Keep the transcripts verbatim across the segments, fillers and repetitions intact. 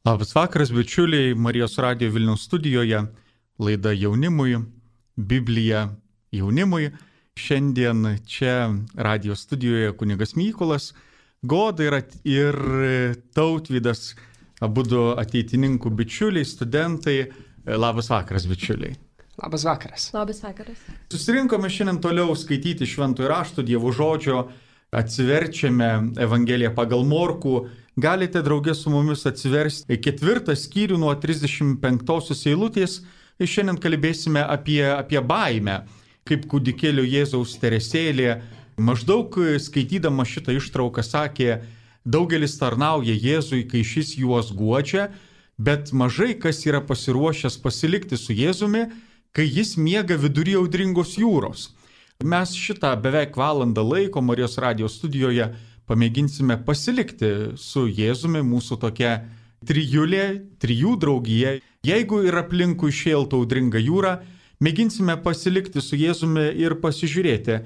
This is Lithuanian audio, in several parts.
Labas vakaras, bičiuliai, Marijos radijo Vilniaus studijoje, laida jaunimui, Biblija jaunimui. Šiandien čia radijo studijoje kunigas Mykolas, Goda ir, ir Tautvydas, abudu ateitininkų bičiuliai, studentai. Labas vakaras, bičiuliai. Labas vakaras. Labas vakaras. Susirinkome šiandien toliau skaityti Šventojo rašto, Dievo žodžio, atsiverčiame Evangeliją pagal Morkų. Galite draugė su mumis atsiversti ketvirtą skyrių nuo trisdešimt penktosios eilutės. Ir šiandien kalbėsime apie, apie baimę, kaip kūdikėlio Jėzaus teresėlė. Maždaug skaitydama šitą ištrauką sakė, daugelis tarnauja Jėzui, kai šis juos guodžia, bet mažai kas yra pasiruošęs pasilikti su Jėzumi, kai jis miega vidury audringos jūros. Mes šitą beveik valandą laiko Marijos radijo studijoje pamėginsime pasilikti su Jėzumi, mūsų tokia trijulė, trijų draugija. Jeigu ir aplinkui šėltų audringa jūra, mėginsime pasilikti su Jėzumi ir pasižiūrėti,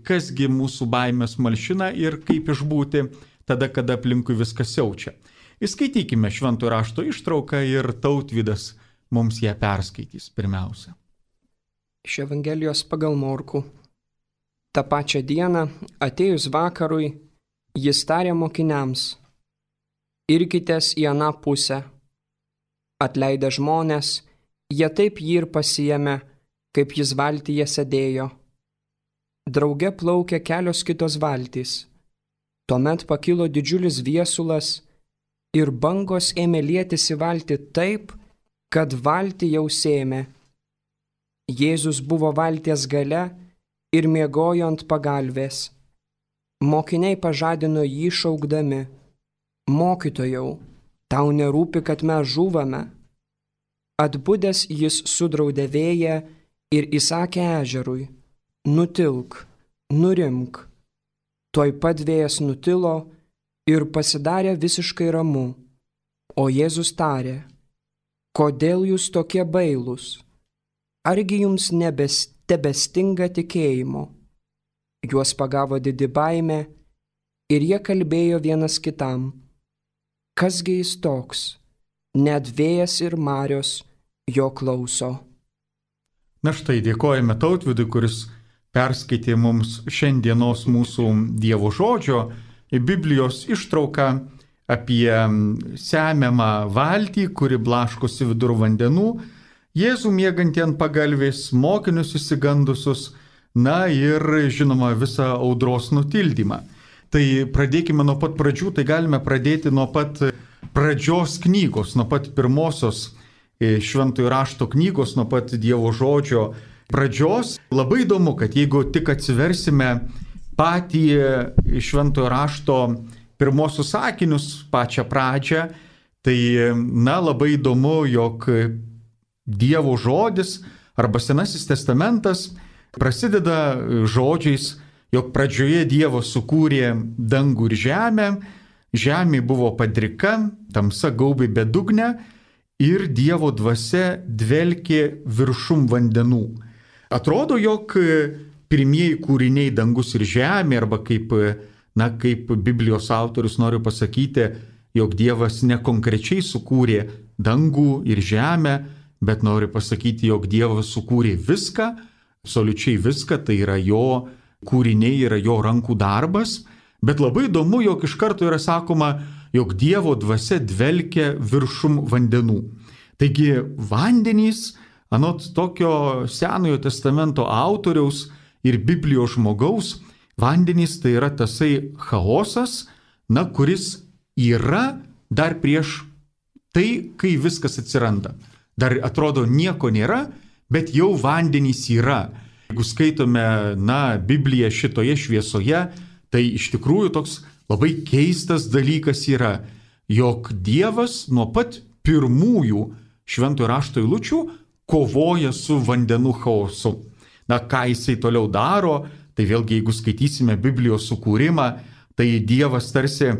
kasgi mūsų baimės malšina ir kaip išbūti tada, kada aplinkui viskas siaučia. Įskaitykime Šventojo rašto ištrauką ir Tautvydas mums ją perskaitys pirmiausia. Iš Evangelijos pagal Morkų. Ta pačią dieną, atėjus vakarui, jis tarė mokiniams, irkitės į aną pusę. Atleidę žmonės, jie taip jį ir pasiėmė, kaip jis valtyje sėdėjo. Drauge plaukė kelios kitos valtys. Tuomet pakilo didžiulis viesulas ir bangos ėmė lietis į valtį taip, kad valtį jau sėmė. Jėzus buvo valties gale ir miegojo ant pagalvės. Mokiniai pažadino jį šaukdami, mokytojau, tau nerūpi, kad mes žūvame. Atbudęs jis sudraudė vėją ir įsakė ežerui, nutilk, nurimk. Tuoj pat vėjas nutilo ir pasidarė visiškai ramu. O Jėzus tarė, kodėl jūs tokie bailūs? Argi jums nebestebestinga tikėjimo? Juos pagavo didi baimė ir jie kalbėjo vienas kitam. Kasgi jis toks? Net vėjas ir marios jo klauso. Na štai, dėkojame Tautvydui, kuris perskaitė mums šiandienos mūsų Dievo žodžio Biblijos ištrauką apie semiamą valtį, kuri blaškosi vidur vandenų, Jėzų miegantį ant pagalvės, mokinius išsigandusius, na ir, žinoma, visą audros nutildymą. Tai pradėkime nuo pat pradžių, tai galime pradėti nuo pat pradžios knygos, nuo pat pirmosios Šventojo rašto knygos, nuo pat Dievo žodžio pradžios. Labai įdomu, kad jeigu tik atsiversime patį Šventojo rašto pirmosius sakinius, pačią pradžią, tai, na, labai įdomu, jog Dievo žodis arba Senasis testamentas prasideda žodžiais, jog pradžioje Dievas sukūrė dangų ir žemę, žemė buvo padrika, tamsa gaubė bedugnę ir Dievo dvasia dvelkė viršum vandenų. Atrodo, jog pirmieji kūriniai dangus ir žemė, arba kaip, na, kaip Biblijos autorius nori pasakyti, jog Dievas nekonkrečiai sukūrė dangų ir žemę, bet nori pasakyti, jog Dievas sukūrė viską, absoliučiai viską, tai yra jo kūriniai, yra jo rankų darbas, bet labai įdomu, jog iš karto yra sakoma, jog Dievo dvasia dvelkia viršum vandenų. Taigi vandenys, anot tokio Senojo testamento autoriaus ir Biblijos žmogaus, vandenys tai yra tasai chaosas, na, kuris yra dar prieš tai, kai viskas atsiranda. Dar atrodo nieko nėra, bet jau vandenys yra. Jeigu skaitome, na, Bibliją šitoje šviesoje, tai iš tikrųjų toks labai keistas dalykas yra, jog Dievas nuo pat pirmųjų Šventojo rašto eilučių kovoja su vandenų chaosu. Na, ką jisai toliau daro, tai vėlgi, jeigu skaitysime Biblijos sukūrimą, tai Dievas tarsi,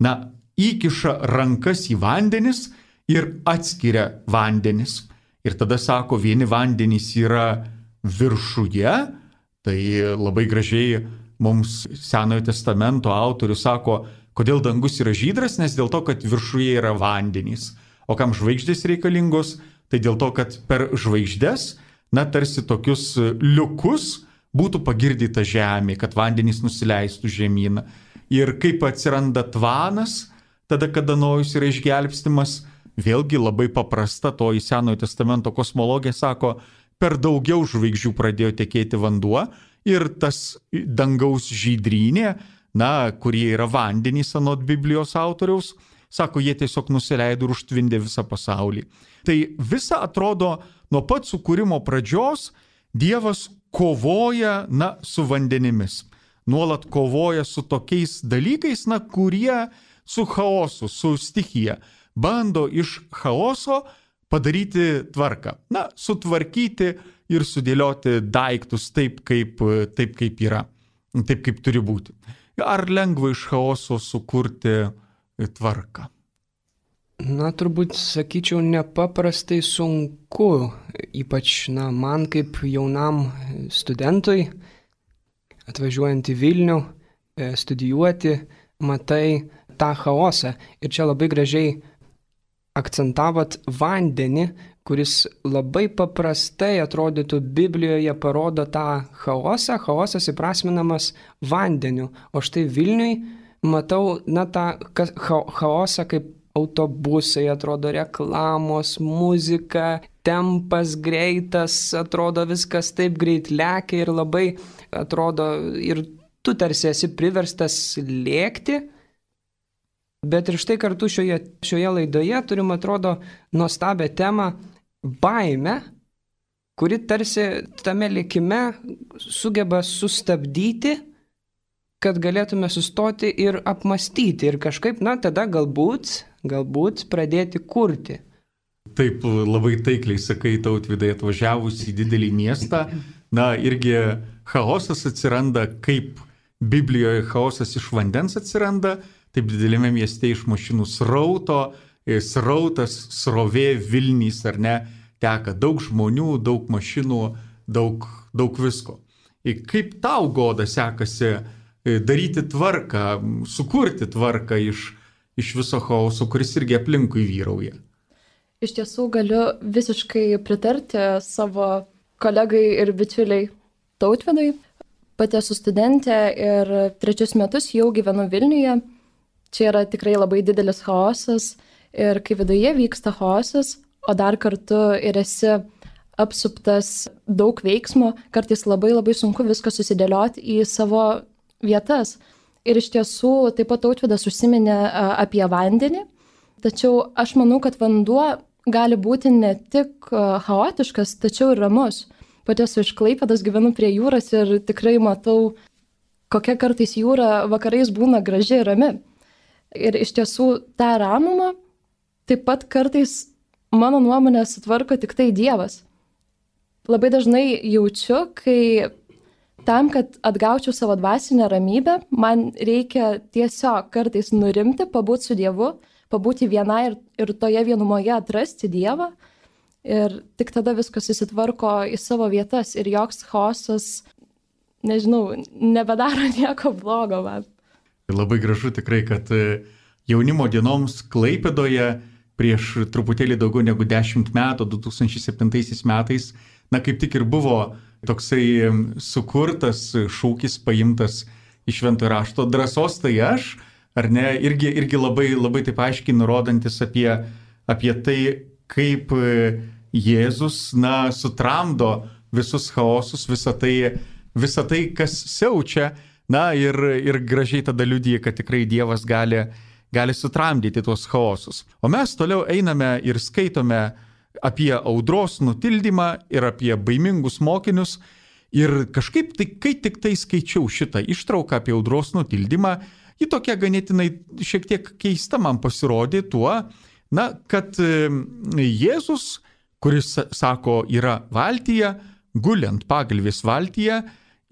na, įkiša rankas į vandenis ir atskiria vandenis. Ir tada sako, vieni vandenys yra viršuje, tai labai gražiai mums Senojo testamento autorius sako, kodėl dangus yra žydras, nes dėl to, kad viršuje yra vandenys. O kam žvaigždės reikalingos? Tai dėl to, kad per žvaigždės, na, tarsi tokius liukus būtų pagirdyta žemė, kad vandenys nusileistų žemyną. Ir kaip atsiranda tvanas, tada, kada Nojus yra išgelbstimas, vėlgi labai paprasta, to į Senojo testamento kosmologija sako, per daugiau žvaigždžių pradėjo tekėti vanduo ir tas dangaus žydrynė, na, kurie yra vandenys anot Biblijos autoriaus, sako, jie tiesiog nusileido ir užtvindė visą pasaulį. Tai visa atrodo, nuo pat sukūrimo pradžios Dievas kovoja, na, su vandenimis. Nuolat kovoja su tokiais dalykais, na, kurie su chaosu, su stichija. Bando iš chaoso padaryti tvarką. Na, sutvarkyti ir sudėlioti daiktus taip, kaip, taip, kaip yra. Taip, kaip turi būti. Ar lengva iš chaoso sukurti tvarką? Na, turbūt, sakyčiau, nepaprastai sunku, ypač, na, man kaip jaunam studentui, atvažiuojant į Vilnių, studijuoti, matai tą chaosą. Ir čia labai gražiai akcentavot vandenį, kuris labai paprastai atrodytų Biblijoje parodo tą chaosą, chaosas įprasminamas vandeniu. O štai Vilniui matau, na, tą chaosą kaip autobusai, atrodo reklamos, muzika, tempas greitas, atrodo viskas taip greit lekia ir labai atrodo ir tu tarsi esi priverstas lėkti. Bet ir štai kartu šioje, šioje laidoje turim, atrodo, nuostabią temą baimę, kuri tarsi tame likime sugeba sustabdyti, kad galėtume sustoti ir apmastyti ir kažkaip, na, tada galbūt, galbūt pradėti kurti. Taip, labai taikliai sakai, Tautvydai, atvažiavus į didelį miestą, na, irgi chaosas atsiranda, kaip Biblijoje chaosas iš vandens atsiranda, taip didelėme mieste iš mašinų srauto, srautas, srovė, Vilnys, ar ne, teka daug žmonių, daug mašinų, daug, daug visko. Ir kaip tau, Goda, sekasi daryti tvarką, sukurti tvarką iš, iš viso chaoso, kuris irgi aplinkui vyrauja? Iš tiesų galiu visiškai pritarti savo kolegai ir bičiuliai Tautvydui. Pati esu studentė ir trečius metus jau gyvenu Vilniuje. Čia yra tikrai labai didelis chaosas ir kai viduje vyksta chaosas, o dar kartu ir esi apsuptas daug veiksmo, kartais labai labai sunku viską susidėlioti į savo vietas. Ir iš tiesų taip pat Tautvydas užsiminė apie vandenį, tačiau aš manau, kad vanduo gali būti ne tik chaotiškas, tačiau ir ramus. Pati esu iš Klaipėdos, gyvenu prie jūros ir tikrai matau, kokia kartais jūra vakarais būna graži ir rami. Ir iš tiesų tą ramumą taip pat kartais, mano nuomonė, sutvarko tik tai Dievas. Labai dažnai jaučiu, kai tam, kad atgaučiau savo dvasinę ramybę, man reikia tiesiog kartais nurimti, pabūti su Dievu, pabūti vienai ir, ir toje vienumoje atrasti Dievą. Ir tik tada viskas susitvarko į savo vietas ir joks chaosas, nežinau, nebedaro nieko blogo man. Labai gražu tikrai, kad jaunimo dienoms Klaipėdoje prieš truputėlį daugiau negu dešimt metų, du tūkstančiai septintaisiais metais, na kaip tik ir buvo toksai sukurtas šūkis paimtas iš Šventojo rašto drąsos tai aš, ar ne, irgi, irgi labai, labai taip aiškiai nurodantis apie, apie tai, kaip Jėzus, na, sutramdo visus chaosus, visą tai, visą tai, kas siaučia, na, ir, ir gražiai tada liudija, kad tikrai Dievas gali, gali sutramdyti tuos chaosus. O mes toliau einame ir skaitome apie audros nutildymą ir apie baimingus mokinius. Ir kažkaip, tai, kai tik tai skaičiau šitą ištrauką apie audros nutildymą, ji tokia ganėtinai šiek tiek keista man pasirodė tuo, na, kad Jėzus, kuris, sako, yra valtyje, guli ant pagalvės valtyje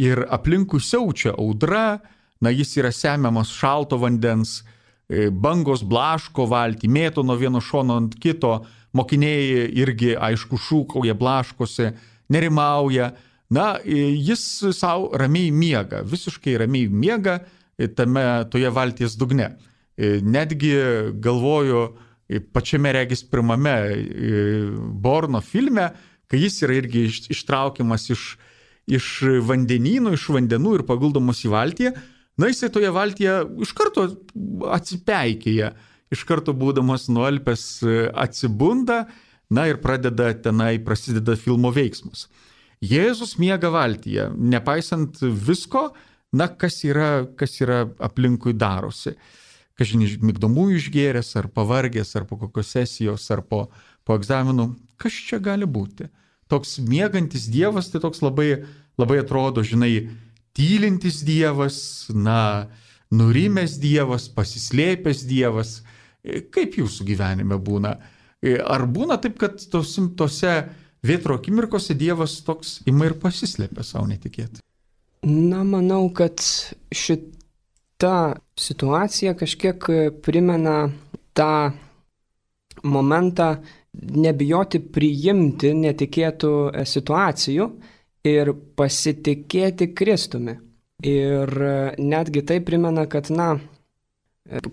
ir aplinkui siaučia audra, na, jis yra semiamas šalto vandens, bangos blaško valtį, mėto nuo vieno šono ant kito, mokiniai irgi, aišku, šūkauja, blaškosi, nerimauja. Na, jis savo ramiai miega, visiškai ramiai miega tame, toje valties dugne. Netgi galvoju, pačiame regis pirmame Borno filme, kai jis yra irgi ištraukiamas iš, iš vandenynų, iš vandenų ir paguldomas į valtį, na jisai toje valtyje iš karto atsipeikėja, iš karto būdamas nualpęs atsibunda, na ir pradeda tenai, prasideda filmo veiksmas. Jėzus miega valtyje, nepaisant visko, na kas yra, kas yra aplinkui darosi. Kažin migdomųjų išgėręs, ar pavargęs, ar po kokios sesijos, ar po, po egzaminų, kas čia gali būti? Toks miegantis Dievas, tai toks labai, labai atrodo, žinai, tylintis Dievas, na, nurimęs Dievas, pasislėpęs Dievas. Kaip jūsų gyvenime būna? Ar būna taip, kad tos, tose vėtro akimirkose Dievas toks ima ir pasislėpia savo netikėtai? Na, manau, kad šita situacija kažkiek primena tą momentą nebijoti priimti netikėtų situacijų ir pasitikėti Kristumi. Ir netgi tai primena, kad, na,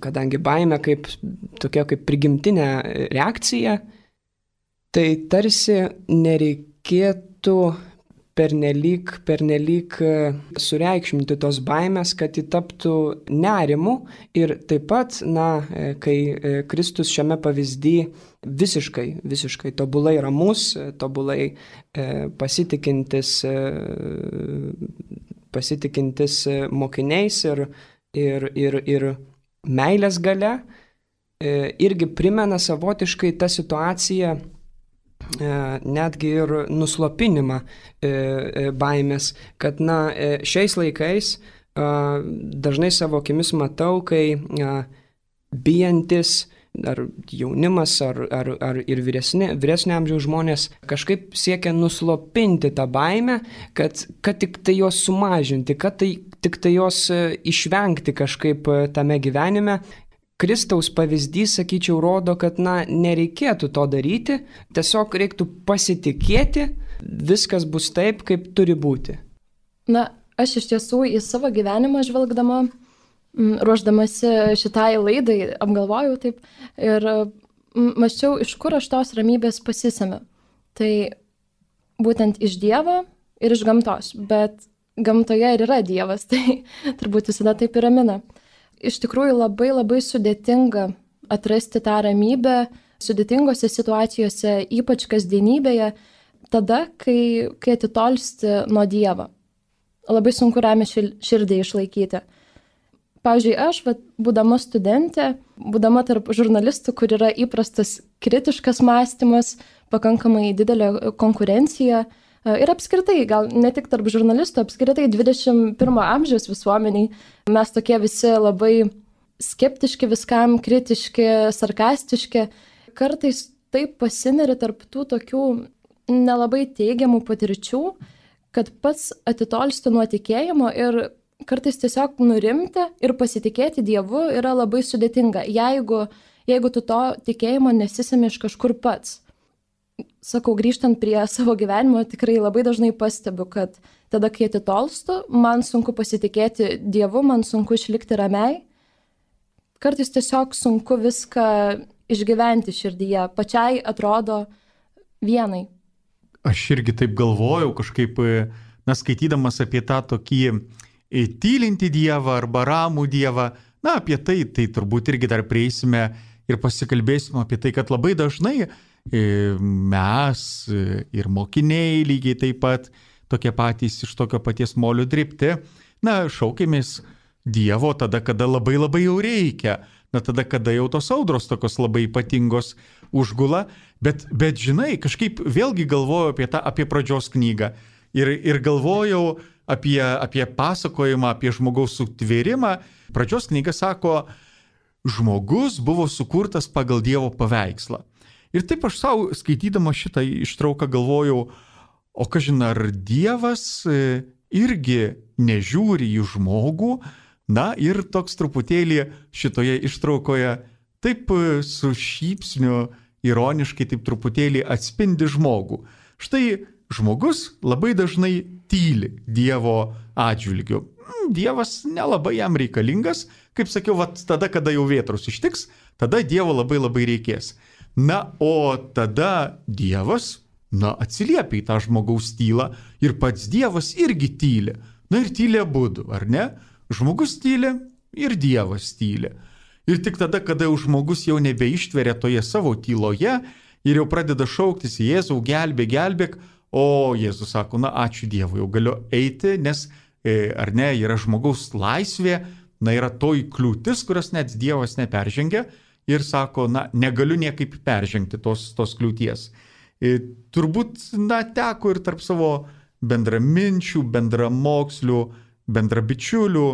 kadangi baimė kaip tokia kaip prigimtinė reakcija, tai tarsi nereikėtų pernelyg, pernelyg sureikšminti tos baimės, kad ji taptų nerimu. Ir taip pat, na, kai Kristus šiame pavyzdyje visiškai, visiškai tobulai ramus, tobulai pasitikintis, pasitikintis mokiniais ir, ir, ir, ir meilės galia, irgi primena savotiškai tą situaciją, netgi ir nuslopinimą baimės, kad, na, šiais laikais dažnai savo akimis matau, kai bijantis ar jaunimas, ar, ar, ar ir vyresni, vyresnio amžiaus žmonės kažkaip siekia nuslopinti tą baimę, kad, kad tik tai jos sumažinti, kad tai, tik tai jos išvengti kažkaip tame gyvenime. Kristaus pavyzdys, sakyčiau, rodo, kad, na, nereikėtų to daryti, tiesiog reiktų pasitikėti, viskas bus taip, kaip turi būti. Na, aš iš tiesų į savo gyvenimą žvelgdama, ruoždamasi šitai laidai, apgalvojau taip ir mąsčiau, iš kur aš tos ramybės pasisemiu. Tai būtent iš Dievo ir iš gamtos, bet gamtoje ir yra Dievas, tai turbūt visada taip ir ramina. Iš tikrųjų labai labai sudėtinga atrasti tą ramybę sudėtingose situacijose, ypač kasdienybėje, tada, kai, kai atitolsti nuo Dievo. Labai sunku ramią širdį išlaikyti. Pavyzdžiui, aš, vat, būdama studentė, būdama tarp žurnalistų, kur yra įprastas kritiškas mąstymas, pakankamai didelė konkurencija ir apskritai, gal ne tik tarp žurnalistų, apskritai dvidešimt pirmo amžiaus visuomeniai, mes tokie visi labai skeptiški viskam, kritiški, sarkastiški, kartais taip pasineri tarp tų tokių nelabai teigiamų patirčių, kad pats atitolsti nuo tikėjimo ir kartais tiesiog nurimti ir pasitikėti Dievu yra labai sudėtinga, jeigu, jeigu tu to tikėjimo nesisemi iš kažkur pats. Sakau, grįžtant prie savo gyvenimo, tikrai labai dažnai pastebiu, kad tada, kai atitolstu, man sunku pasitikėti Dievu, man sunku išlikti ramiai. Kartais tiesiog sunku viską išgyventi širdyje, pačiai atrodo vienai. Aš irgi taip galvojau, kažkaip, na, skaitydamas apie tą tokį tylinti Dievą arba ramų Dievą, na, apie tai, tai turbūt irgi dar prieisime ir pasikalbėsime apie tai, kad labai dažnai mes ir mokiniai lygiai taip pat tokie patys iš tokio paties molio dribti, na, šaukėmės Dievo tada, kada labai labai jau reikia, na, tada, kada jau tos audros tokios labai ypatingos užgula, bet, bet žinai, kažkaip vėlgi galvojau apie tą, apie pradžios knygą ir, ir galvojau apie, apie pasakojimą, apie žmogaus sutvėrimą. Pradžios knyga sako, žmogus buvo sukurtas pagal Dievo paveikslą. Ir taip aš savo skaitydama šitą ištrauką galvojau, o kažin ar Dievas irgi nežiūri į žmogų, na ir toks truputėlį šitoje ištraukoje taip su šypsniu ironiškai taip truputėlį atspindi žmogų. Štai žmogus labai dažnai tyli Dievo atžvilgiu. Dievas nelabai jam reikalingas, kaip sakiau, vat, tada, kada jau vėtrus ištiks, tada Dievo labai labai reikės. Na, o tada Dievas, na, atsiliepia į tą žmogaus tylą ir pats Dievas irgi tyli. Na ir tyli abudu, ar ne? Žmogus tyli ir Dievas tyli. Ir tik tada, kada jau žmogus jau nebeištveria toje savo tyloje ir jau pradeda šauktis Jėzau, gelbėk, gelbėk, o Jėzus sako, na ačiū Dievui, jau galiu eiti, nes, ar ne, yra žmogaus laisvė, na yra toji kliūtis, kurios net Dievas neperžengia ir sako, na negaliu niekaip peržengti tos, tos kliūties. Ir turbūt, na, teko ir tarp savo bendraminčių, bendramokslių, bendrabičiulių,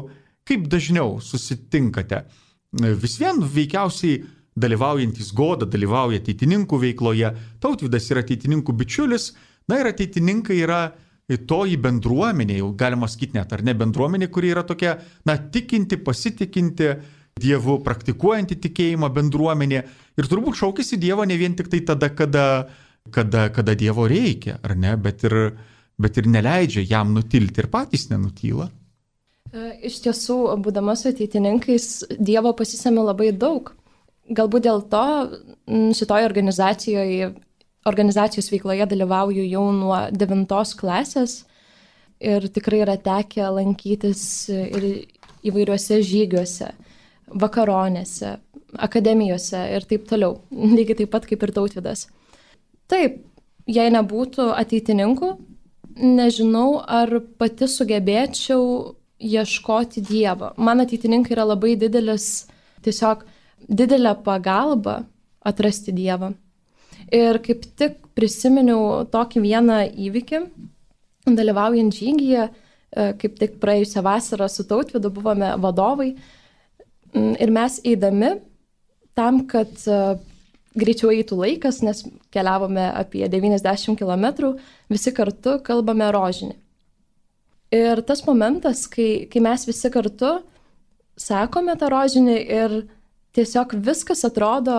kaip dažniau susitinkate. Vis vien veikiausiai dalyvaujantis Goda, dalyvauja ateitininkų veikloje, Tautvydas yra ateitininkų bičiulis, na ir ateitininkai yra toji bendruomenė, jau galima sakyti net, ar ne bendruomenė, kuri yra tokia, na, tikinti, pasitikinti, Dievu praktikuojanti tikėjimą bendruomenė ir turbūt šaukėsi Dievo ne vien tik tai tada, kada, kada, kada Dievo reikia, ar ne, bet ir, bet ir neleidžia jam nutilti ir patys nenutyla. Iš tiesų, būdamas ateitininkais, Dievo pasisėmė labai daug. Galbūt dėl to šitoje organizacijoje, organizacijos veikloje dalyvauju jau nuo devintos klasės ir tikrai yra tekę lankytis ir įvairiuose žygiuose, vakaronėse, akademijose ir taip toliau, lygiai taip pat kaip ir Tautvydas. Taip, jei nebūtų ateitininkų, nežinau, ar pati sugebėčiau ieškoti Dievo. Man ateitininkai yra labai didelis, tiesiog didelė pagalba atrasti Dievą. Ir kaip tik prisiminiau tokį vieną įvykį, dalyvaujant žygyje, kaip tik praėjusią vasarą su Tautvydu buvome vadovai ir mes eidami tam, kad greičiau eitų laikas, nes keliavome apie devyniasdešimt kilometrų, visi kartu kalbame rožinį. Ir tas momentas, kai, kai mes visi kartu sakome tą rožinį ir tiesiog viskas atrodo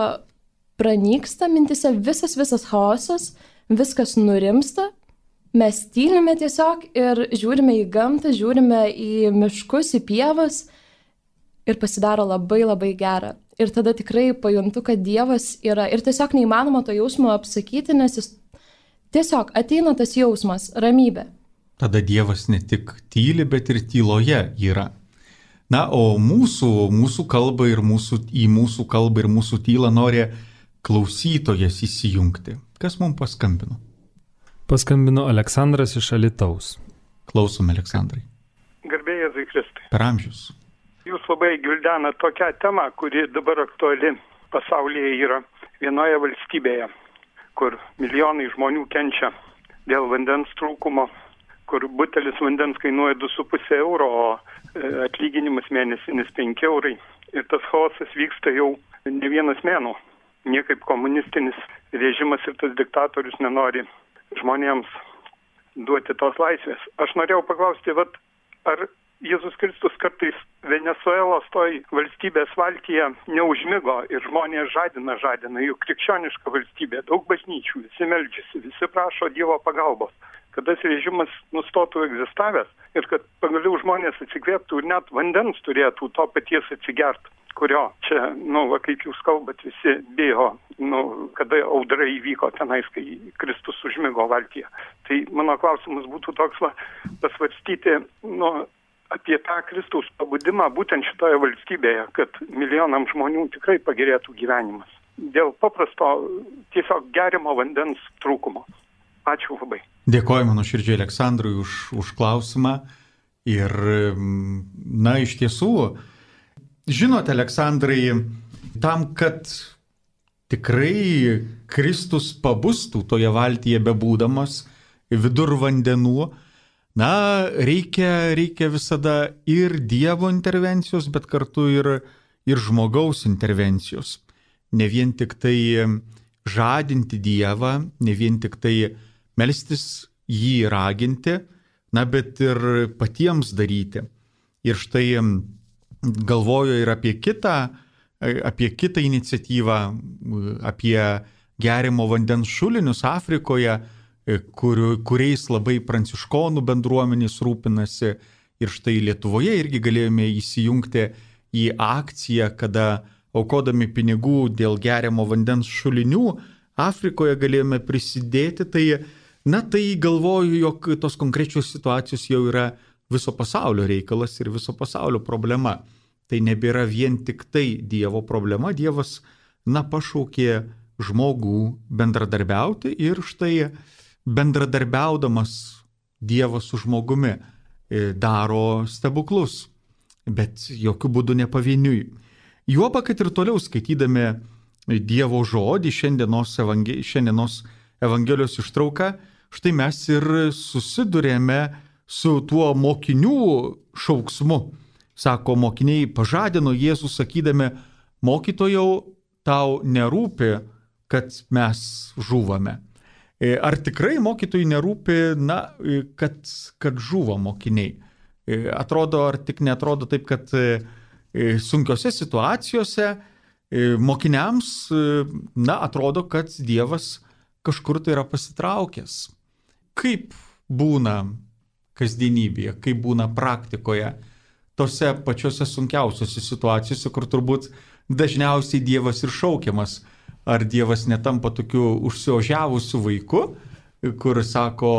pranyksta mintise, visas visas chaosas, viskas nurimsta, mes tylime tiesiog ir žiūrime į gamtą, žiūrime į miškus, į pievas ir pasidaro labai labai gera. Ir tada tikrai pajuntu, kad Dievas yra ir tiesiog neįmanoma to jausmo apsakyti, nes jis tiesiog ateina tas jausmas, ramybė. Tada Dievas ne tik tyli, bet ir tyloje yra. Na, o mūsų, mūsų kalbą ir mūsų, į mūsų kalbą ir mūsų tylą nori klausytojas įsijungti. Kas mums paskambino? Paskambino Aleksandras iš Alytaus. Klausom, Aleksandrai. Garbė Jėzui Kristui. Per amžius. Jūs labai gvildena tokią temą, kuri dabar aktuali pasaulyje yra vienoje valstybėje, kur milijonai žmonių kenčia dėl vandens trūkumo, kur butelis vandens kainuoja du su puse euro, o atlyginimas mėnesinis penki eurai. Ir tas chaosas vyksta jau ne vienas mėnuo. Niekaip komunistinis režimas ir tas diktatorius nenori žmonėms duoti tos laisvės. Aš norėjau paklausti, vat, ar Jėzus Kristus kartais Venesuelos toj valstybės valtyje neužmigo ir žmonės žadina, žadina, juk krikščioniška valstybė, daug bažnyčių, visi meldžiasi, visi prašo Dievo pagalbos, kad tas režimas nustotų egzistavęs ir kad pagaliau žmonės atsikvėptų ir net vandens turėtų to paties atsigert, kurio čia, nu, va, kaip jūs kalbat, visi bijo, nu, kada audra įvyko tenais, kai Kristus užmigo valtyje. Tai mano klausimas būtų toks, va, pasvarstyti, nu, apie tą Kristaus pabudimą būtent šitoje valstybėje, kad milijonam žmonių tikrai pagerėtų gyvenimas. Dėl paprasto tiesiog gerimo vandens trūkumo. Ačiū labai. Dėkoju mano širdžiai Aleksandrui už, už klausimą. Ir, na, iš tiesų, žinote, Aleksandrai, tam, kad tikrai Kristus pabustų toje valtyje bebūdamas vidur vandenų, na, reikia, reikia visada ir Dievo intervencijos, bet kartu ir, ir žmogaus intervencijos. Ne vien tik tai žadinti Dievą, ne vien tik tai melstis jį raginti, na, bet ir patiems daryti. Ir štai galvoju ir apie kitą, apie kitą iniciatyvą, apie gerimo vandens šulinius Afrikoje. kur, kuriais labai pranciškonų bendruomenės rūpinasi. Ir štai Lietuvoje irgi galėjome įsijungti į akciją, kada aukodami pinigų dėl geriamo vandens šulinių Afrikoje galėjome prisidėti. Tai, na, tai galvoju, jog tos konkrečios situacijos jau yra viso pasaulio reikalas ir viso pasaulio problema. Tai nebėra vien tik tai Dievo problema. Dievas, na, pašaukė žmogų bendradarbiauti ir štai bendradarbiaudamas Dievas su žmogumi daro stebuklus, bet jokių būdų ne pavieniui. Juoba, kad ir toliau skaitydami Dievo žodį, šiandienos, evangel... šiandienos Evangelijos ištrauką, štai mes ir susidurėme su tuo mokinių šauksmu. Sako, mokiniai pažadino Jėzų sakydami, mokytojau, tau nerūpi, kad mes žūvame. Ar tikrai mokytojai nerūpi, na, kad, kad žuvo mokiniai? Atrodo, ar tik netrodo taip, kad sunkiose situacijose mokiniams, na, atrodo, kad Dievas kažkur tai yra pasitraukęs. Kaip būna kasdienybėje, kaip būna praktikoje, tose pačiose sunkiausiose situacijose, kur turbūt dažniausiai Dievas ir šaukiamas. Ar Dievas netampa tokiu užsiožiavusiu vaiku, kur sako,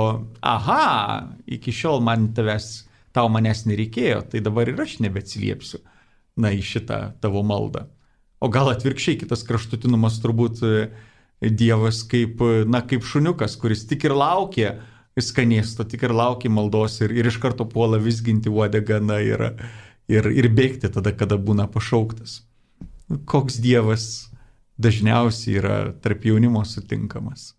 aha, iki šiol man tavęs, tau manęs nereikėjo, tai dabar ir aš nebeatsiliepsiu, na, į šitą tavo maldą. O gal atvirkščiai, kitas kraštutinumas turbūt Dievas kaip, na, kaip šuniukas, kuris tik ir laukia skanėsto, tik ir laukia maldos ir, ir iš karto puola vizginti uodegą, na, ir, ir, ir bėgti tada, kada būna pašauktas. Koks Dievas dažniausiai yra tarp jaunimo sutinkamas?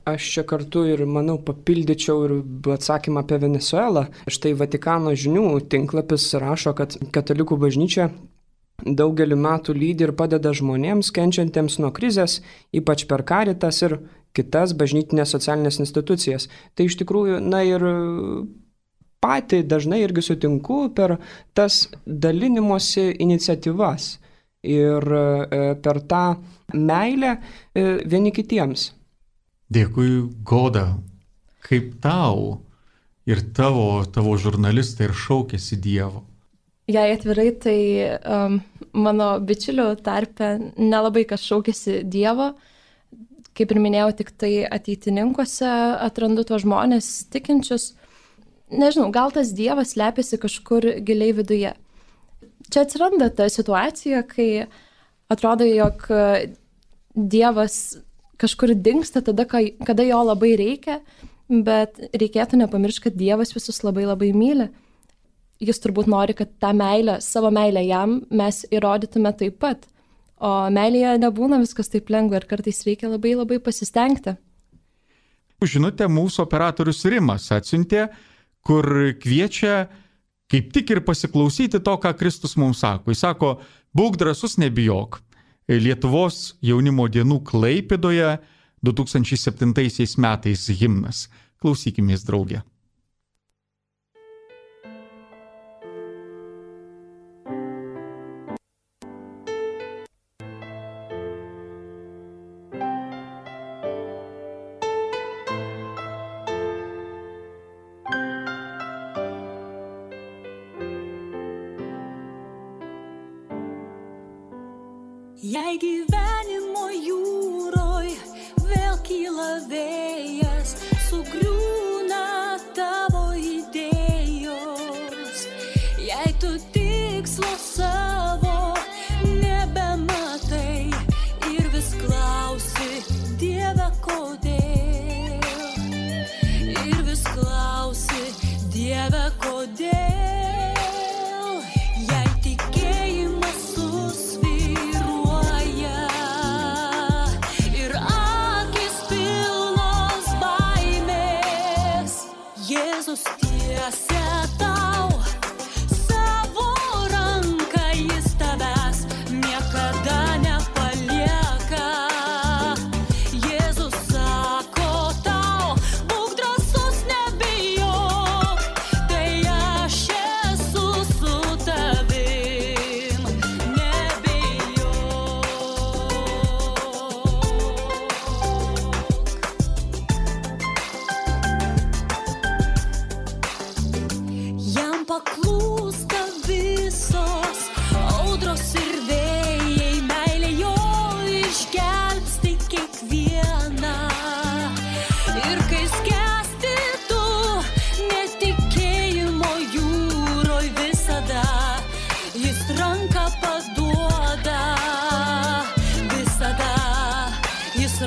Aš čia kartu ir, manau, papildyčiau ir atsakymą apie Venezuelą. Štai Vatikano žinių tinklapis rašo, kad katalikų bažnyčia daugelį metų lydi ir padeda žmonėms kenčiantiems nuo krizės, ypač per Caritas ir kitas bažnytinės socialinės institucijas. Tai iš tikrųjų, na ir pati dažnai irgi sutinku per tas dalinimosi iniciatyvas ir per tą meilę vieni kitiems. Dėkui, Goda, kaip tau ir tavo, tavo žurnalistai ir šaukėsi Dievo? Jei atvirai, tai um, mano bičiulių tarpe nelabai kas šaukėsi Dievo. Kaip ir minėjau, tik tai ateitininkuose atrandu tuos žmonės tikinčius. Nežinau, gal tas Dievas slepiasi kažkur giliai viduje. Čia atsiranda ta situacija, kai atrodo, jog Dievas kažkur dingsta tada, kada jo labai reikia, bet reikėtų nepamiršti, kad Dievas visus labai labai myli. Jis turbūt nori, kad tą meilę, savo meilę jam mes įrodytume taip pat. O meilėje nebūna viskas taip lengva ir kartais reikia labai labai pasistengti. Žinote, mūsų operatorius Rimas atsiuntė, kur kviečia kaip tik ir pasiklausyti to, ką Kristus mums sako. Jis sako, būk drąsus, nebijok. Lietuvos jaunimo dienų Klaipėdoje du tūkstančiai septintaisiais metais himnas. Klausykimės, draugė. Jei gyvenimo jūroj vėl kyla vėjas, sugriūna tavo idėjos, jei tu tikslo savo nebematai ir vis klausi, Dieve, kodėl, ir vis klausi, Dieve, kodėl. Baimės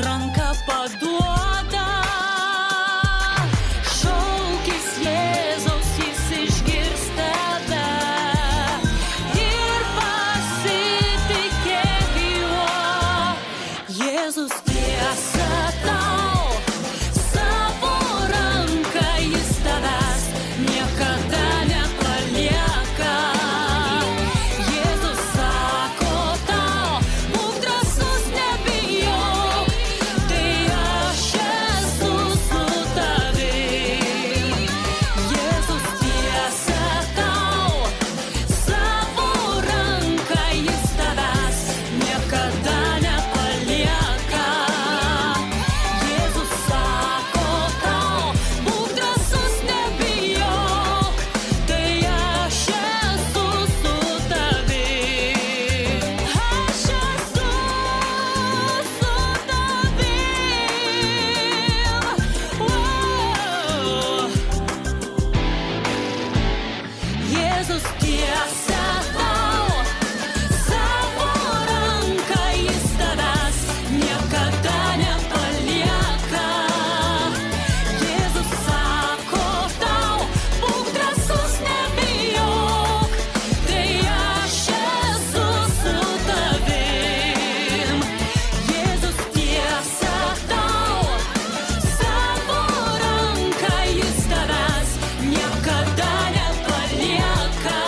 ranką paduoda. Šaukis Jėzaus, jis išgirs tave ir pasitikėk juo. Jėzus tiesa tau, savo ranką jis tavęs niekada nepalieka. Jėzus sako tau, būk drąsus, nebijok, tai aš esu su tavim. Jėzus tiesa tau, savo ranką jis tavęs niekada nepalieka. Jėzus sako tau, būk drąsus, nebijok, tai aš esu su tavim. Aš esu su tavim. Wow. Jėzus tiesa tau, savo ranką jis tavęs niekada nepalieka. Jėzus sako tau, būk drąsus, nebijok, tai aš esu su tavim. Jėzus tiesa tau, savo ranką jis tavęs niekada nepalieka.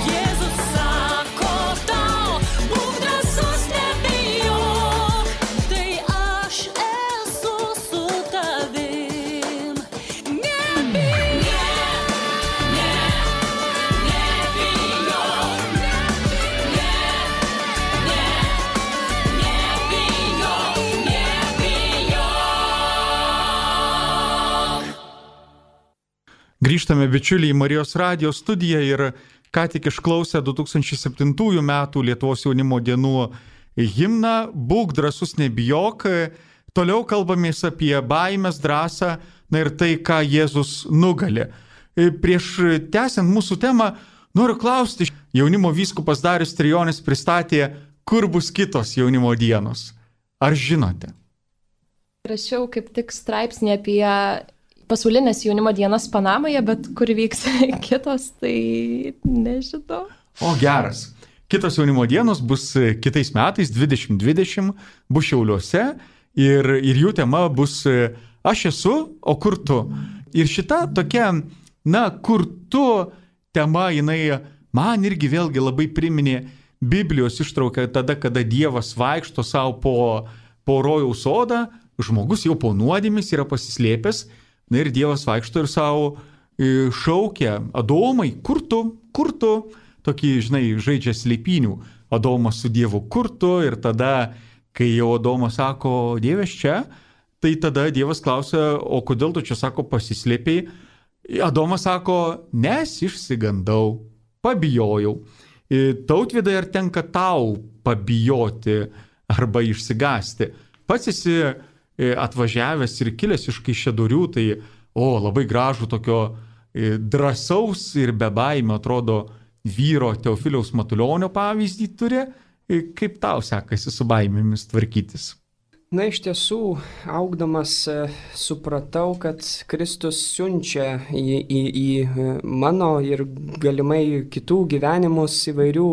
Jėzus sako tau, būk drąsus, nebijok, tai aš esu su tavim. Nebijok, ne, ne, nebijok, ne, ne, nebijok, nebijok. Grįžtame, bičiuliai, į Marijos radijo studiją ir ką tik išklausę du tūkstančiai septintųjų metų Lietuvos jaunimo dienų himną Būk drąsus, nebijok. Toliau kalbamės apie baimės, drąsą, na ir tai, ką Jėzus nugali. Prieš tęsiant mūsų temą, noriu klausti, jaunimo vyskupas Darius Trijonis pristatė, kur bus kitos jaunimo dienos. Ar žinote? Rašiau kaip tik straipsnį apie pasaulinės jaunimo dienas Panamoje, bet kur vyks kitos, tai nežinau. O geras. Kitos jaunimo dienos bus kitais metais, dvidešimt dvidešimt, bus Šiauliuose ir, ir jų tema bus Aš esu, o kur tu. Ir šita tokia, na, kur tu tema, jinai man irgi vėlgi labai priminė Biblijos ištrauką tada, kada Dievas vaikšto savo po, po rojaus sodą, žmogus jau po nuodėmės yra pasislėpęs, na ir Dievas vaikšto ir savo šaukia, Adomai, kur tu, kur tu, tokį, žinai, žaidžia slėpinių, Adomas su Dievu, kur tu, ir tada, kai jau Adomas sako, Dievas čia, tai tada Dievas klausia, o kodėl tu čia, sako, pasislėpiai? Adomas sako, nes išsigandau, pabijojau. Tautvydai, ar tenka tau pabijoti arba išsigąsti? Pats esi atvažiavęs ir kilęs iš Kaišiadorių, tai, o, labai gražų tokio drąsaus ir be baimio, atrodo, vyro Teofiliaus Matulionio pavyzdį turi. Kaip tau sekasi su baimėmis tvarkytis? Na, iš tiesų, augdamas supratau, kad Kristus siunčia į, į, į mano ir galimai kitų gyvenimus įvairių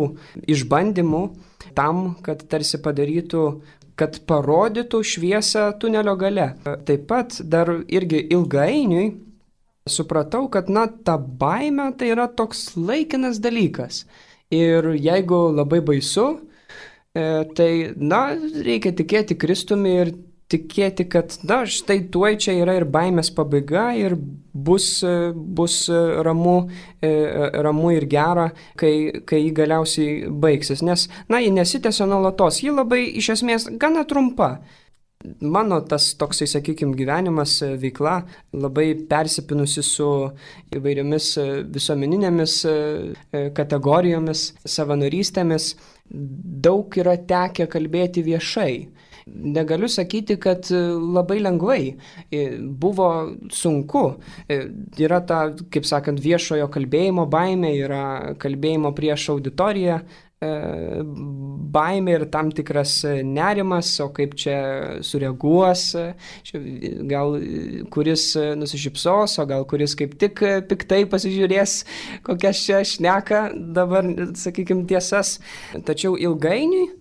išbandymų tam, kad tarsi padarytų, kad parodytų šviesą tunelio gale. Taip pat dar irgi ilgainiui supratau, kad, na, ta baimė tai yra toks laikinas dalykas. Ir jeigu labai baisu, tai, na, reikia tikėti Kristumi ir tikėti, kad, na, štai tuoj čia yra ir baimės pabaiga ir bus, bus ramu, ramu ir gera, kai, kai jį galiausiai baigsis. Nes, na, ji nesitęsia nuolatos, ji labai iš esmės gana trumpa. Mano tas toksai, sakykime, gyvenimas, veikla labai persipinusi su įvairiomis visuomeninėmis kategorijomis, savanorystėmis. Daug yra tekę kalbėti viešai. Negaliu sakyti, kad labai lengvai. Buvo sunku. Yra ta, kaip sakant, viešojo kalbėjimo baimė, yra kalbėjimo prieš auditoriją baimė ir tam tikras nerimas, o kaip čia sureaguos, gal kuris nusišypsos, o gal kuris kaip tik piktai pasižiūrės, kokias čia šneka dabar, sakykime, tiesas. Tačiau ilgainiui,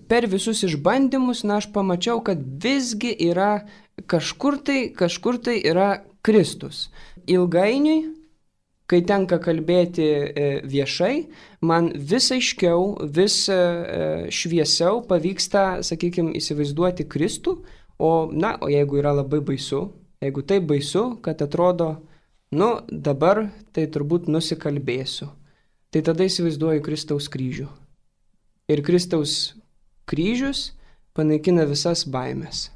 per visus išbandymus, na, aš pamačiau, kad visgi yra kažkur tai, kažkur tai yra Kristus. Ilgainiui, kai tenka kalbėti viešai, man vis aiškiau, vis šviesiau pavyksta, sakykime, įsivaizduoti Kristų, o, na, o jeigu yra labai baisu, jeigu taip baisu, kad atrodo, nu, dabar tai turbūt nusikalbėsiu, tai tada įsivaizduoju Kristaus kryžių. Ir Kristaus kryžius panaikina visas baimės.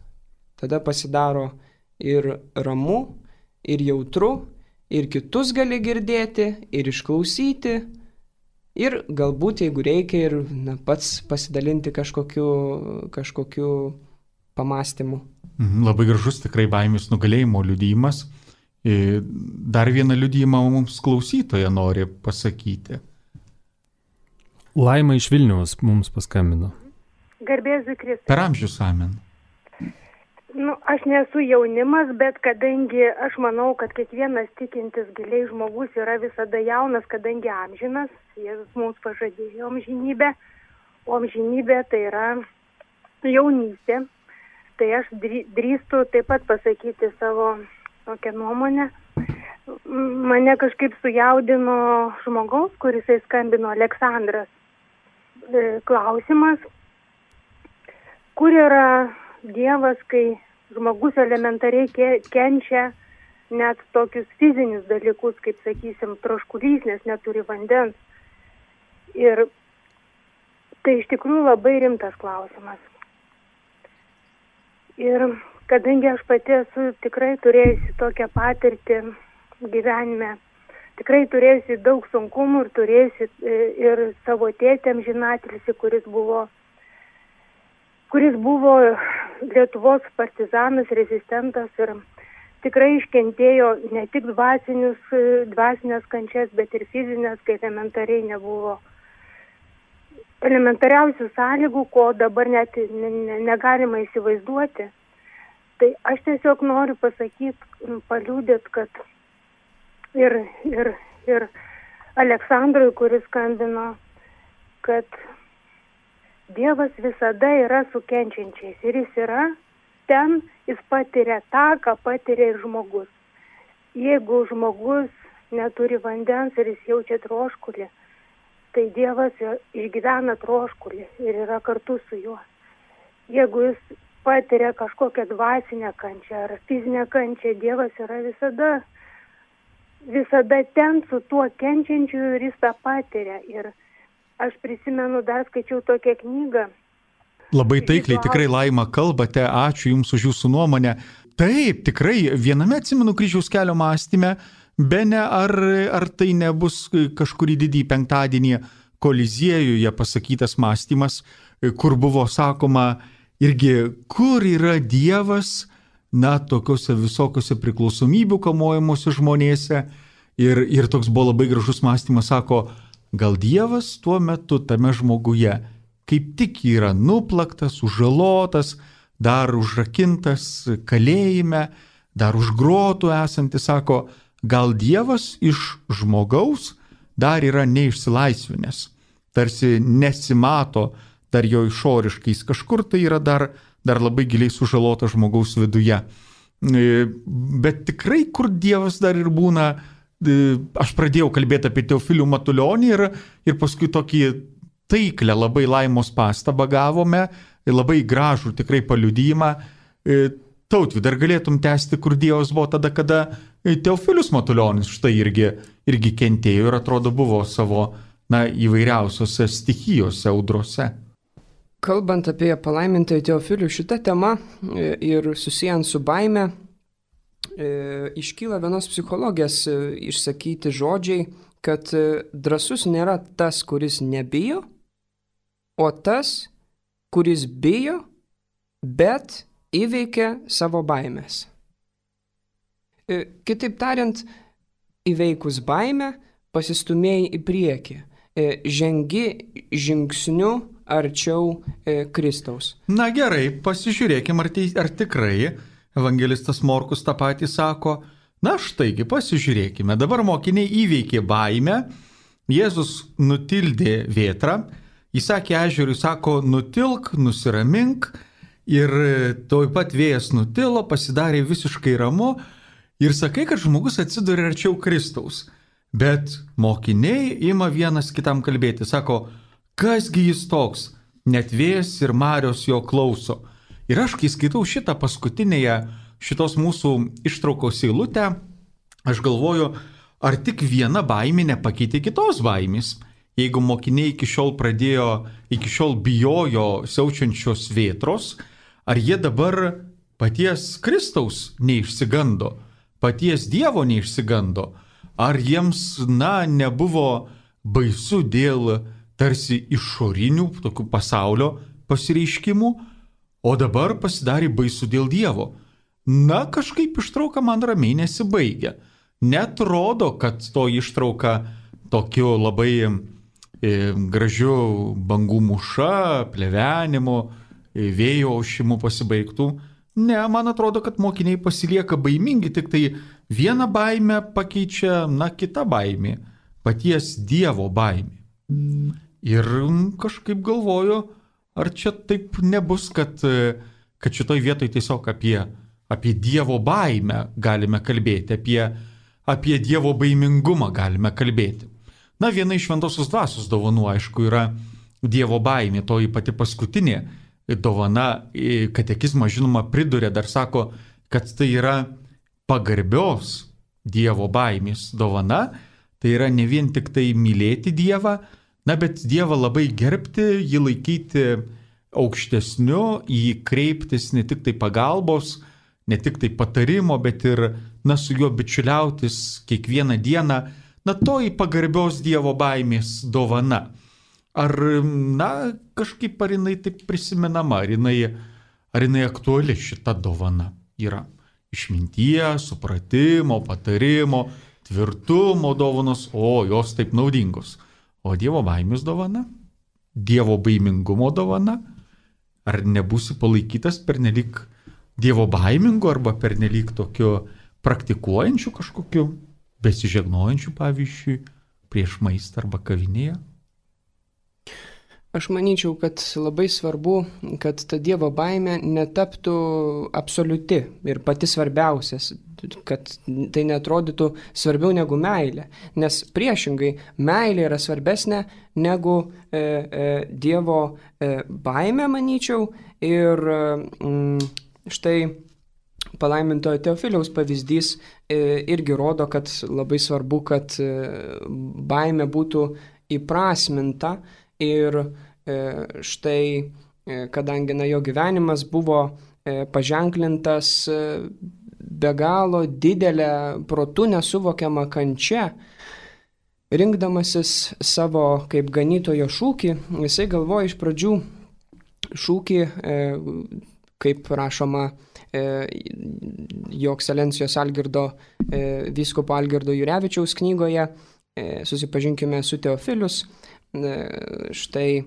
Tada pasidaro ir ramu, ir jautru, ir kitus gali girdėti, ir išklausyti, ir galbūt, jeigu reikia, ir na, pats pasidalinti kažkokiu, kažkokiu pamąstymu. Labai gražus tikrai baimės nugalėjimo liudijimas. Dar vieną liudijimą mums klausytoja nori pasakyti. Laima iš Vilniaus mums paskambino. Garbėsiu Kristui. Per amžius amen. Nu, aš nesu jaunimas, bet kadangi aš manau, kad kiekvienas tikintis giliai žmogus yra visada jaunas, kadangi amžinas, Jėzus mums pažadėjo amžinybę, o amžinybė tai yra jaunystė. Tai aš drįstu taip pat pasakyti savo tokią nuomonę. Mane kažkaip sujaudino žmogaus, kuris skambino Aleksandras. Klausimas, kur yra Dievas, kai žmogus elementariai kenčia net tokius fizinius dalykus, kaip, sakysim, troškulys, nes neturi vandens. Ir tai iš tikrųjų labai rimtas klausimas. Ir kadangi aš pati esu tikrai turėjusi tokią patirtį gyvenime, tikrai turėjusi daug sunkumų ir turėjusi ir savo tėtę amžinatilsį, kuris buvo kuris buvo Lietuvos partizanas, rezistentas ir tikrai iškentėjo ne tik dvasinius, dvasinės kančias, bet ir fizinės, kai elementariai nebuvo elementariausių sąlygų, ko dabar net ne, ne, negalima įsivaizduoti. Tai aš tiesiog noriu pasakyti, paliūdėt, kad ir, ir, ir Aleksandrui, kuris skambino, kad Dievas visada yra su kenčiančiais ir jis yra ten, jis patiria tą, ką patiria ir žmogus. Jeigu žmogus neturi vandens ir jis jaučia troškulį, tai Dievas išgyvena troškulį ir yra kartu su juo. Jeigu jis patiria kažkokią dvasinę kančią ar fizinę kančią, Dievas yra visada, visada ten su tuo kenčiančiu ir jis tą patiria. Ir aš prisimenu, dar skaičiau tokią knygą. Labai taikliai tikrai, Laima, kalbate, ačiū Jums už Jūsų nuomonę. Taip, tikrai, viename atsimenu kryžiaus kelio mąstyme, bene ar, ar tai nebus kažkurį didį penktadienį Koliziejuje pasakytas mąstymas, kur buvo sakoma irgi, kur yra Dievas, na, tokiuose visokiuose priklausomybių kamuojamuose žmonėse. Ir, ir toks buvo labai gražus mąstymas, sako, gal Dievas tuo metu tame žmoguje kaip tik yra nuplaktas, užžalotas, dar užrakintas kalėjime, dar už grotų esantis, sako, gal Dievas iš žmogaus dar yra neišsilaisvinęs, tarsi nesimato dar jo išoriškai, jis kažkur tai yra dar, dar labai giliai sužalotas žmogaus viduje. Bet tikrai, kur Dievas dar ir būna, aš pradėjau kalbėti apie Teofilių Matulionį ir, ir paskui tokį taiklę labai Laimos pastabą gavome, labai gražų tikrai paliudijimą. Tautvydai, dar galėtum tęsti, kur Dievas buvo tada, kada Teofilius Matulionis štai irgi, irgi kentėjo ir atrodo buvo savo na, įvairiausiose stichijose, audrose. Kalbant apie palaimintąjį Teofilių, šitą temą ir susijant su baime, iškyla vienos psichologės išsakyti žodžiai, kad drąsus nėra tas, kuris nebijo, o tas, kuris bijo, bet įveikia savo baimės. Kitaip tariant, įveikus baimę, pasistumėjai į priekį. žengi žingsniu arčiau Kristaus. Na gerai, pasižiūrėkime, ar, tai, ar tikrai evangelistas Morkus tą patį sako. Na štaigi, pasižiūrėkime, dabar mokiniai įveikė baimę, Jėzus nutildė vėtrą, jis sakė ežerui, sako, nutilk, nusiramink, ir toj pat vėjas nutilo, pasidarė visiškai ramu, ir sakai, kad žmogus atsiduria arčiau Kristaus. Bet mokiniai ima vienas kitam kalbėti, sako, kasgi jis toks, net vėjas ir marios jo klauso. Ir aš, kai skaitau šitą paskutinėje šitos mūsų ištraukos eilutę, aš galvoju, ar tik viena baimė nepakeitė kitos baimės. Jeigu mokiniai iki šiol pradėjo, iki šiol bijojo siaučiančios vėtros, ar jie dabar paties Kristaus neišsigando, paties Dievo neišsigando, ar jiems, na, nebuvo baisu dėl tarsi išorinių tokių pasaulio pasireiškimų, o dabar pasidarė baisu dėl Dievo. Na, kažkaip ištrauka man ramiai nesibaigia. Net rodo, kad to ištrauka tokiu labai e, gražiu bangų muša, plevenimu, e, vėjo aušimu pasibaigtų. Ne, man atrodo, kad mokiniai pasilieka baimingi, tik tai vieną baimę pakeičia, na, kita baimė, paties Dievo baimė. Ir kažkaip galvoju, ar čia taip nebus, kad, kad šitoj vietoj tiesiog apie, apie Dievo baimę galime kalbėti, apie Apie Dievo baimingumą galime kalbėti. Na, viena iš šventosios dvasios dovanų, aišku, yra Dievo baimė, toji pati paskutinė dovana, katekizmas, žinoma, priduria, dar sako, kad tai yra pagarbios Dievo baimės dovana, tai yra ne vien tik tai mylėti Dievą, na, bet Dievą labai gerbti, jį laikyti aukštesniu, jį kreiptis ne tik tai pagalbos, ne tik tai patarimo, bet ir, na, su juo bičiuliautis kiekvieną dieną, na, toji pagarbios Dievo baimės dovana. Ar, na, kažkaip ar jinai taip prisimenama, ar jinai, ar jinai aktuali šita dovana yra? Išminties, supratimo, patarimo, tvirtumo dovanos, o jos taip naudingos. O Dievo baimės dovana? Dievo baimingumo dovana? Ar nebūsi palaikytas pernelyg Dievo baimingu arba pernelyg tokiu praktikuojančiu kažkokiu, besižegnojančiu, pavyzdžiui, prieš maistą arba kavinėje? Aš manyčiau, kad labai svarbu, kad ta Dievo baimė netaptų absoliuti ir pati svarbiausias, kad tai neatrodytų svarbiau negu meilė. Nes priešingai, meilė yra svarbesnė negu e, e, Dievo e, baimė, manyčiau, ir mm, štai palaimintojo Teofiliaus pavyzdys e, irgi rodo, kad labai svarbu, kad e, baimė būtų įprasminta ir e, štai, e, kadangi na, jo gyvenimas buvo e, paženklintas e, be galo didelę protu nesuvokiamą kančią, rinkdamasis savo kaip ganytojo šūkį, jisai galvoja iš pradžių šūkį, e, kaip rašoma jo ekscelencijos Algirdo, vyskupo Algirdo Jurevičiaus knygoje, susipažinkime su Teofilius. Štai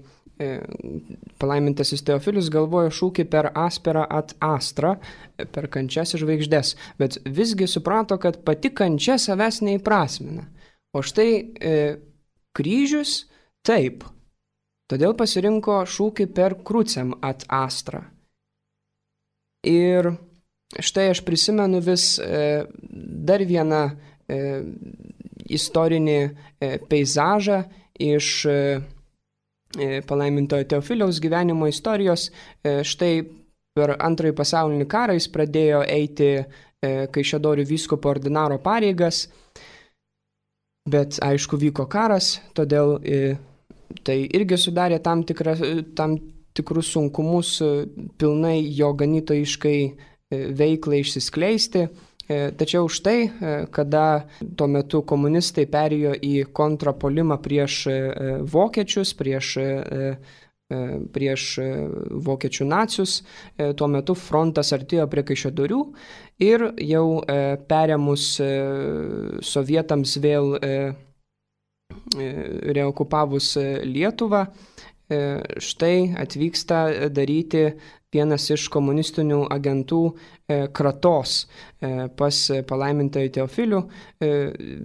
palaimintasis Teofilius galvojo šūkį per asperą at astra, per kančias ir žvaigždes, bet visgi suprato, kad pati kančia savęs neįprasmina. O štai kryžius taip. Todėl pasirinko šūkį per krucem at astra. Ir štai aš prisimenu vis e, dar vieną e, istorinį e, peizažą iš e, palaimintojo Teofiliaus gyvenimo istorijos. E, štai per antrąjį pasaulinį karą jis pradėjo eiti e, Kaišiadorių vyskupo ordinaro pareigas, bet aišku vyko karas, todėl e, tai irgi sudarė tam, tikra, tam tikrus sunkumus pilnai jo ganytojiškai veiklai išsiskleisti. Tačiau štai, kada tuo metu komunistai perėjo į kontrapuolimą prieš vokiečius, prieš, prieš vokiečių nacius, tuo metu frontas artėjo prie Kaišiadorių ir jau perėmus sovietams vėl reokupavus Lietuvą, štai atvyksta daryti vienas iš komunistinių agentų kratos pas palaimintojų Teofilių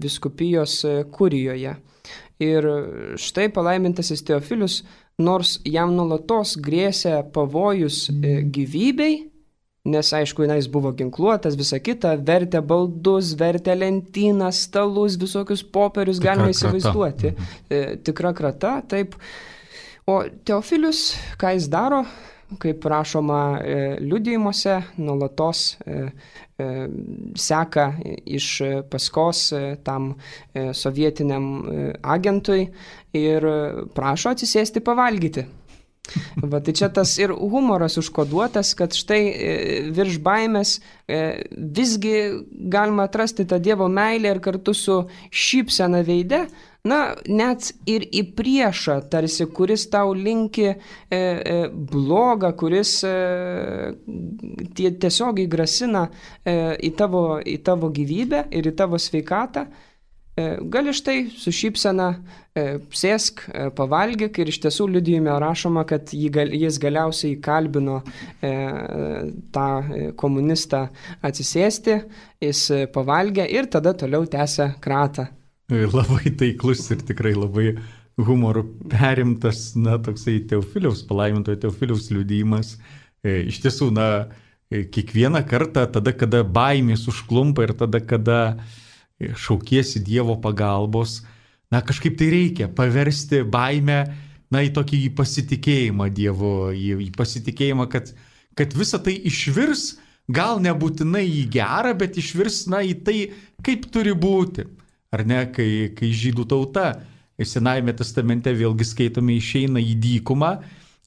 vyskupijos kurijoje. Ir štai palaimintasis Teofilius, nors jam nuolatos grėsė pavojus gyvybei, nes aišku, jis buvo ginkluotas, visa kita, vertė baldus, vertė lentynas, stalus, visokius popierius, Tikra galima krata. įsivaizduoti. Mhm. Tikra krata, taip. O Teofilius, ką jis daro, kaip rašoma liudijimuose, nuolatos seka iš paskos tam sovietiniam agentui ir prašo atsisėsti pavalgyti. Va, tai čia tas ir humoras užkoduotas, kad štai virš baimės visgi galima atrasti tą Dievo meilę ir kartu su šypsena veide, na, net ir į priešą, tarsi, kuris tau linki e, e, blogą, kuris e, tie, tiesiogiai grasina e, į, tavo, į tavo gyvybę ir į tavo sveikatą, e, gali štai su šypsena e, sėsk, e, pavalgyk, ir iš tiesų liudijime rašoma, kad jį, gal, jis galiausiai kalbino e, tą komunistą atsisėsti, jis pavalgė ir tada toliau tęsia kratą. Labai taiklus ir tikrai labai humoru perimtas, na, toksai Teofiliaus, palaimintojo Teofiliaus liudijimas. E, iš tiesų, na, kiekvieną kartą, tada, kada baimės užklumpa ir tada, kada šaukiesi Dievo pagalbos, na, kažkaip tai reikia paversti baimę, na, į tokį pasitikėjimą Dievu, į, į pasitikėjimą, kad, kad visa tai išvirs, gal nebūtinai į gerą, bet išvirs, na, į tai, kaip turi būti. Ar ne, kai, kai žydų tauta Senajame testamente vėlgi skaitome išeina į dykumą,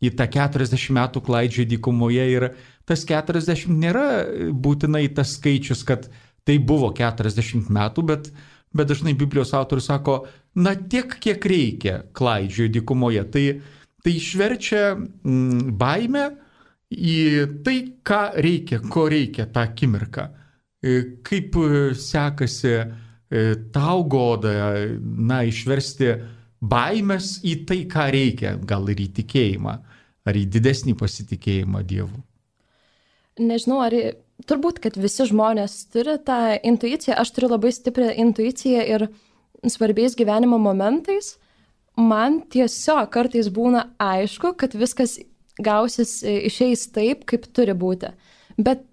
į tą keturiasdešimt metų klaidžioja dykumoje ir tas keturiasdešimt nėra būtinai tas skaičius, kad tai buvo keturiasdešimt metų, bet, bet dažnai Biblijos autorius sako, na tiek, kiek reikia klaidžioja dykumoje. Tai, tai išverčia mm, baimę į tai, ką reikia, ko reikia tą akimirką. Kaip sekasi tau, Goda, na, išversti baimės į tai, ką reikia, gal ir į tikėjimą, ar į didesnį pasitikėjimą Dievu? Nežinau, ar turbūt, kad visi žmonės turi tą intuiciją. Aš turiu labai stiprią intuiciją ir svarbiais gyvenimo momentais man tiesiog kartais būna aišku, kad viskas gausis, išeis taip, kaip turi būti. Bet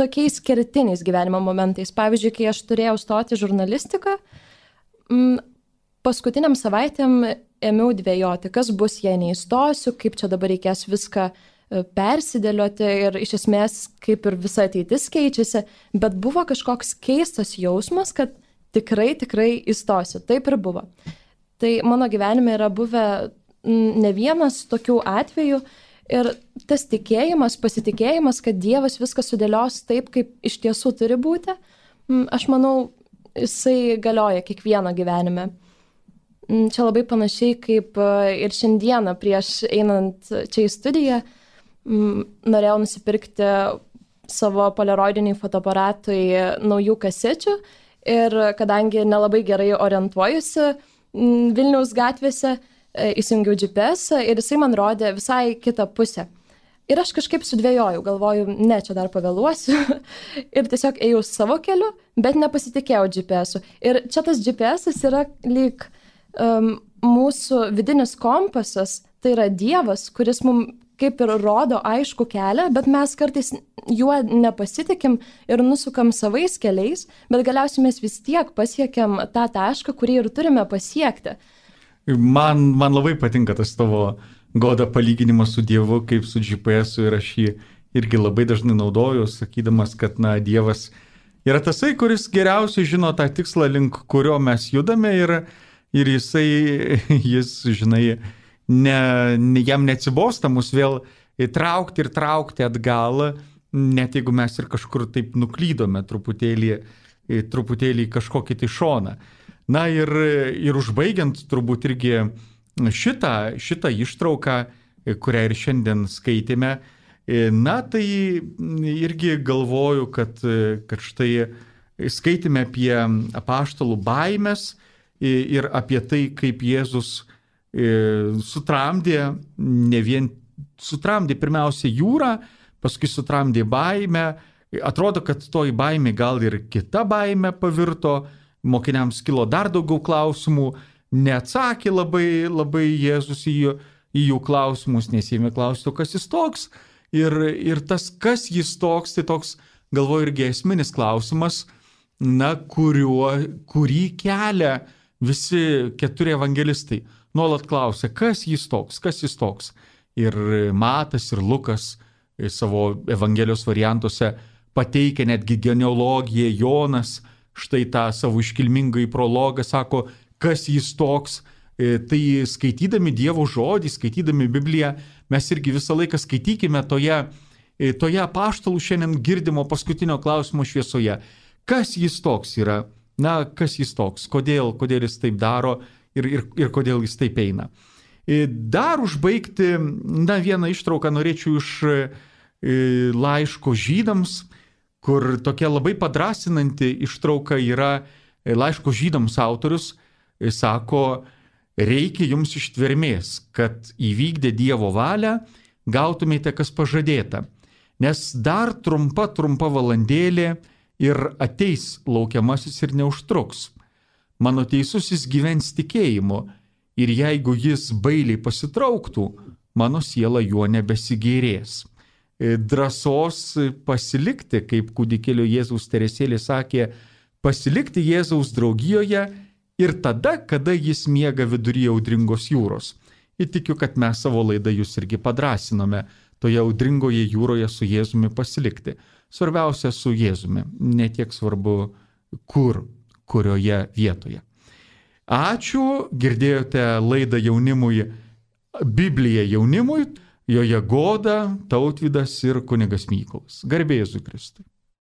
tokiais kertiniais gyvenimo momentais. Pavyzdžiui, kai aš turėjau stoti žurnalistiką, paskutiniam savaitėm ėmiau dvejoti, kas bus, jei neįstosiu, kaip čia dabar reikės viską persidėlioti ir iš esmės kaip ir visa ateitis keičiasi, bet buvo kažkoks keistas jausmas, kad tikrai, tikrai įstosiu. Taip ir buvo. Tai mano gyvenime yra buvę ne vienas tokių atvejų, ir tas tikėjimas, pasitikėjimas, kad Dievas viską sudėlios taip, kaip iš tiesų turi būti, aš manau, jisai galioja kiekvieno gyvenime. Čia labai panašiai kaip ir šiandieną prieš einant čia į studiją, norėjau nusipirkti savo polaroidiniai fotoaparatui naujų kasečių ir kadangi nelabai gerai orientuojusi Vilniaus gatvėse, įsijungiau G P S ir jisai man rodė visai kitą pusę. Ir aš kažkaip sudvėjojau, galvoju, ne, čia dar pavėluosiu. Ir tiesiog ėjau savo keliu, bet nepasitikėjau G P S-u. Ir čia tas G P S-as yra lyg um, mūsų vidinis kompasas, tai yra Dievas, kuris mums kaip ir rodo aišku kelią, bet mes kartais juo nepasitikim ir nusukam savais keliais, bet galiausiai mes vis tiek pasiekiam tą tašką, kurį ir turime pasiekti. Man, man labai patinka tas tavo, Goda, palyginimas su Dievu, kaip su G P S-u, ir aš jį irgi labai dažnai naudoju, sakydamas, kad, na, Dievas yra tasai, kuris geriausiai žino tą tikslą, link kurio mes judame ir, ir jisai, jis, žinai, ne, ne, jam neatsibosta mus vėl traukti ir traukti atgal, net jeigu mes ir kažkur taip nuklydome truputėlį, truputėlį kažkokį tai šoną. Na ir, ir užbaigiant turbūt irgi šitą, šitą ištrauką, kurią ir šiandien skaitėme, na tai irgi galvoju, kad, kad štai skaitėme apie apaštalų baimės ir apie tai, kaip Jėzus sutramdė, ne vien sutramdė pirmiausia jūrą, paskui sutramdė baimę. Atrodo, kad toji baimė gal ir kita baimė pavirto, mokiniams kilo dar daugiau klausimų, neatsakė labai, labai Jėzus į jų, į jų klausimus, nes jėmė klausti, kas jis toks. Ir, ir tas, kas jis toks, tai toks, galvoju, irgi esminis klausimas, na, kuriuo, kurį kelia visi keturi evangelistai. Nuolat klausia, kas jis toks, kas jis toks. Ir Matas, ir Lukas savo evangelijos variantuose pateikia netgi genealogiją, Jonas štai tą savo iškilmingąjį prologą sako, kas jis toks. Tai skaitydami Dievo žodį, skaitydami Bibliją, mes irgi visą laiką skaitykime toje, toje apaštalų šiandien girdimo paskutinio klausimo šviesoje. Kas jis toks yra? Na, kas jis toks? Kodėl, kodėl jis taip daro? Ir, ir, ir kodėl jis taip eina. Dar užbaigti, na, vieną ištrauką norėčiau iš laiško žydams, kur tokia labai padrasinanti ištrauka yra laiško žydams autorius, sako, reikia jums ištvermės, kad įvykdę Dievo valią gautumėte, kas pažadėta, nes dar trumpa, trumpa valandėlė ir ateis laukiamasis ir neužtruks. Mano teisusis gyvens tikėjimu ir jeigu jis bailiai pasitrauktų, mano siela juo nebesigėrės. Drąsos pasilikti, kaip kūdikėlio Jėzaus Teresėlė sakė, pasilikti Jėzaus draugijoje ir tada, kada jis miega vidury audringos jūros. Ir tikiu, kad mes savo laidą jūs irgi padrasinome toje audringoje jūroje su Jėzumi pasilikti. Svarbiausia su Jėzumi, ne tiek svarbu kur. kurioje vietoje. Ačiū, girdėjote laidą jaunimui, Biblija jaunimui, joje Goda, Tautvydas ir kunigas Mykolas. Garbė Jėzui Kristui.